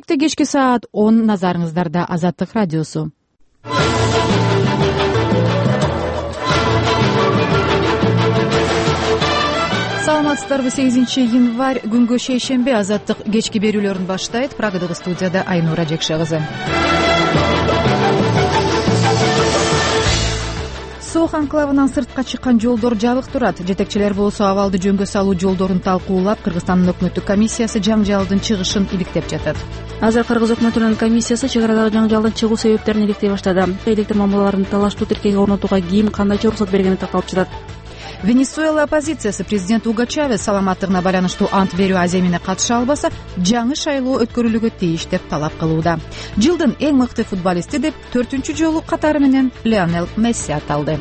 Чаршемби кечки саат 10 назарыңыздарда Азаттык радиосу. Саламатсыздарбы? 8-январь күнгө шейшемби Азаттык кечки берүүлөрүн баштайт. Прагадагы студияда Айнура Жекше кызы. Сох анклавынан сыртка чыккан жолдор жабык турат. Жетекчилер болсо абалды жөнгө салуу жолдорун талкуулап, Кыргызстандын өкмөттүк комиссиясы жаңжалдын чыгышын иликтеп жатат. Азыр Кыргыз өкмөтүнүн комиссиясы чек арадагы жаңжалдын чыгуу себептерин иликтей баштады. Электр мамилаларын талаштуу тиркеге орнотууга ким кандайча уруксат бергени такталып жатат. Венесуэла оппозициясы президент Уго Чавес саламаттыгына байланыштуу ант берүү аземине катыша албаса, жаңы шайлоо өткөрүлүүгө тийиш деп талап кылууда. Жылдын эң мыкты футболисти деп 4-чү жолу катары менен Лионел Месси аталды.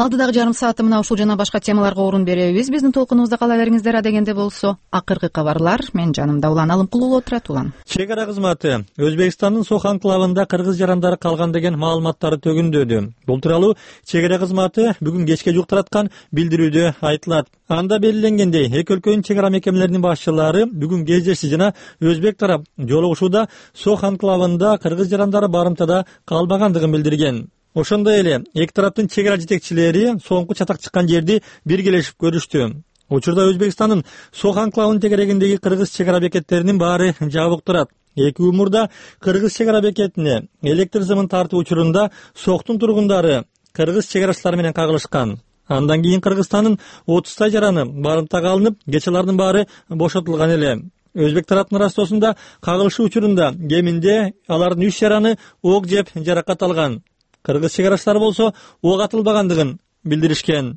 Алдыдагы жарым саатта мына ушул жана башка темаларга орун беребиз. Биздин толкунубузда кала бериңиздер. Адегенде болсо акыркы кабарлар. Мен жанымда Улан Алымкулуу отурат. Улан. Чек ара кызматы Өзбекстандын Сох анклавында кыргыз жарандары калган деген маалыматтары төгүндөдү. Бул тууралуу чек ара кызматы бүгүн кечке жук тараткан билдирүүдө айтылат. Анда белгиленгендей, эки өлкөнүн чек ара мекемелеринин башчылары бүгүн кездешти жана өзбек тарап жолугушууда Сох анклавында кыргыз жарандары барымтада калбагандыгын билдирген. Ошондой эле эки тараптын чек ара жетекчилери соңку чатак чыккан жерди биргелешип көрүштү. Учурда Өзбекстандын Сох анклавынын тегерегиндеги кыргыз чек ара бекеттеринин баары жабык турат. Эки мурда кыргыз чек ара бекетине электр сымын тартуу учурунда Сохтун тургундары кыргыз чек арачылары менен кагылышкан. Андан кийин Кыргызстандын 30 жараны барымтага алынып, кечелардын баары бошотулган эле. Өзбек тараптын растоосунда кагылышуу учурунда кеминде алардын 3 жараны ок жеп жаракат алган. Кыргыз чек арачылары болсо ок атылбагандыгын билдиришкен.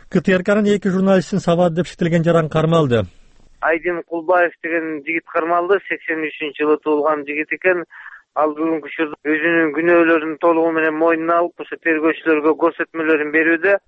КТРКнын 2 журналистин сабады деп шектелген жаран кармалды. Айдин Кулбаев деген жигит кармалды. 83-жылы туулган жигит экен. Ал бүгүнкү учурда өзүнүн күнөөлөрүн толугу менен мойнуна алып, ошо тергөөчүлөргө көрсөтмөлөрүн берүүдө.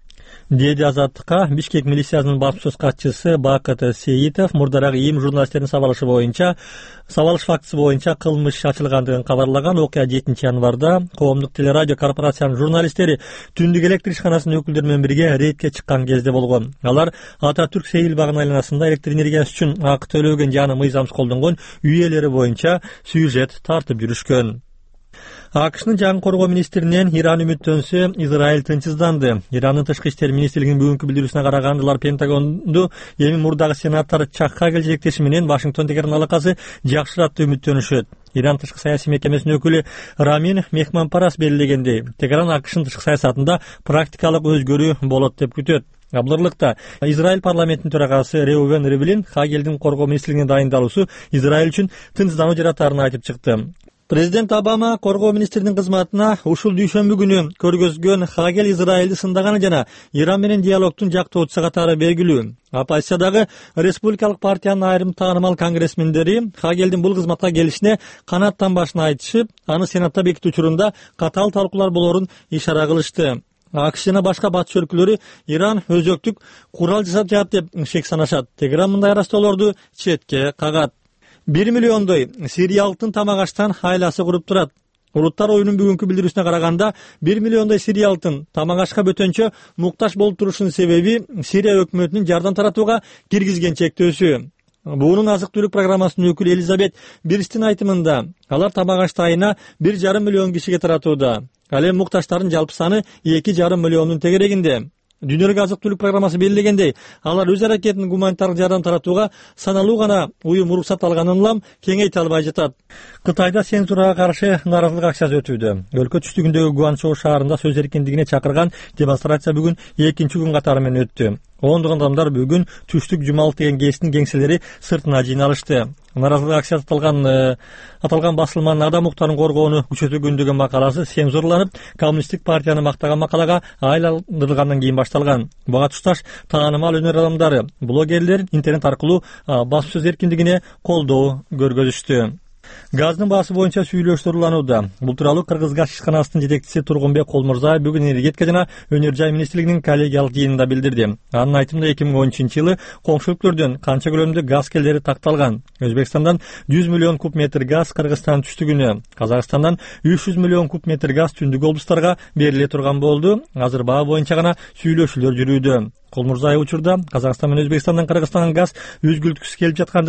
Деди Азаттыкка Бишкек милициясынын баспасөз катчысы Бакыт Сейитов мурдараак ИИМ журналисттердин сабалыш фактысы боюнча кылмыш ачылгандыгын кабарлаган. Окуя 7-январда Коомдук телерадио корпорациянын журналисттери түндүк электр ишканасынын өкүлдөрү менен бирге рейдке чыккан кезде болгон. Алар Ататүрк Сейил багынын айланасында электр энергиясы үчүн акы төлөгөн жана мыйзамсыз колдонгон үй ээлери боюнча сюжет тартып жүрүшкөн. АКШнын жаңы коргоо министринен Иран үмүттөнсө, Израиль тынчсызданды. Ирандын тышкы иштер министрлигинин бүгүнкү билдирүүсүнө караганда, алар Пентагонду эми мурдагы сенаттар Чак Хагел жетектеши менен Вашингтон тегерен алакасы жакшырат деп үмүттөнүшөт. Иран тышкы саясий мекемесинин өкүлү Рамин Мехманпарас белгилегендей, Тегеран АКШнын тышкы саясатында практикалык өзгөрүү болот деп күтөт. Абдырлыкта Израиль парламентинин төрагасы Реувен Ривлин Хагелдин коргоо министрлигине дайындалуусу Израиль үчүн тынчсыздануу жаратарын айтып чыкты. Президент Обама коргоо министринин кызматына ушул дүйшөмбү күнү көргөзгөн Хагел Израилди сындаганы жана Иран менен диалогдун жактоочусу катары белгилүү. Оппозициядагы Республикалык партиянын айрым таанымал конгрессмендери Хагелдин бул кызматка келишине канааттанбашын айтышып, аны сенатта бекитүү учурунда катаал талкуулар болорун ишара кылышты. АКШ жана башка батыш өлкөлөрү Иран өзөктүк курал жасап жатат деп шек санашат. Тегеран мындай арастоолорду четке кагат. 1 миллиондой сириялыктын тамак аштан айласы куруп турат. Улуттар оюнун бүгүнкү билдирүүсүнө караганда, 1 миллиондой сириялыктын тамак ашка бөтөнчө муктаж болуп турушунун себеби Сирия өкмөтүнүн жардам таратууга киргизген чектөөсү. Буунун азык түлүк программасынын өкүлү Элизабет Бирстин айтымында, алар тамак ашты айына 1,5 миллион кишиге таратууда. Ал эми муктаждардын жалпы саны 2,5 миллиондун тегерегинде. Дүйнөлүк азык түлүк программасы белгилегендей, алар өз аракетин гуманитардык жардам таратууга саналуу гана уюм уруксат алганын улам кеңейте албай жатат. Кытайда цензурага каршы нааразылык акциясы өтүүдө. Өлкө түштүгүндөгү Гуанчжоу шаарында сөз эркиндигине чакырган демонстрация бүгүн 2-күн катары менен өттү. Ондогон адамдар бүгүн түштүк жумалык деген кесиптин кеңселери сыртына жыйналышты. Нааразылык акциясы аталган басылманын адам укуктарын коргоону күчөтүлгөн макаласы цензурланып, коммунисттик партияны мактаган макалага айландырылгандан кийин башталган. Буга тушташ таанымал өнөр адамдары, блогерлер интернет аркылуу басуу сөз эркиндигине колдоо көргөзүштү. Газдын баасы боюнча сүйлөшүүлөр уланууда. Бул тууралуу Кыргыз газ ишканасынын жетекчиси Тургунбек Колмурзаев бүгүн энергетика жана өнөр жай министрлигинин коллегиялык жыйынында билдирди. Анын айтымында 2013-жылы коңшу өлкөлөрдөн канча көлөмдө газ келери такталган. Өзбекстандан 100 миллион куб метр газ Кыргызстан түштүгүнө, Казакстандан 300 миллион куб метр газ түндүк облустарга бериле турган болду. Азыр баа боюнча гана сүйлөшүүлөр жүрүүдө. Колмурзаев учурда Казакстан менен Өзбекстандан Кыргызстанга газ үзгүлтүксүз келип жатканды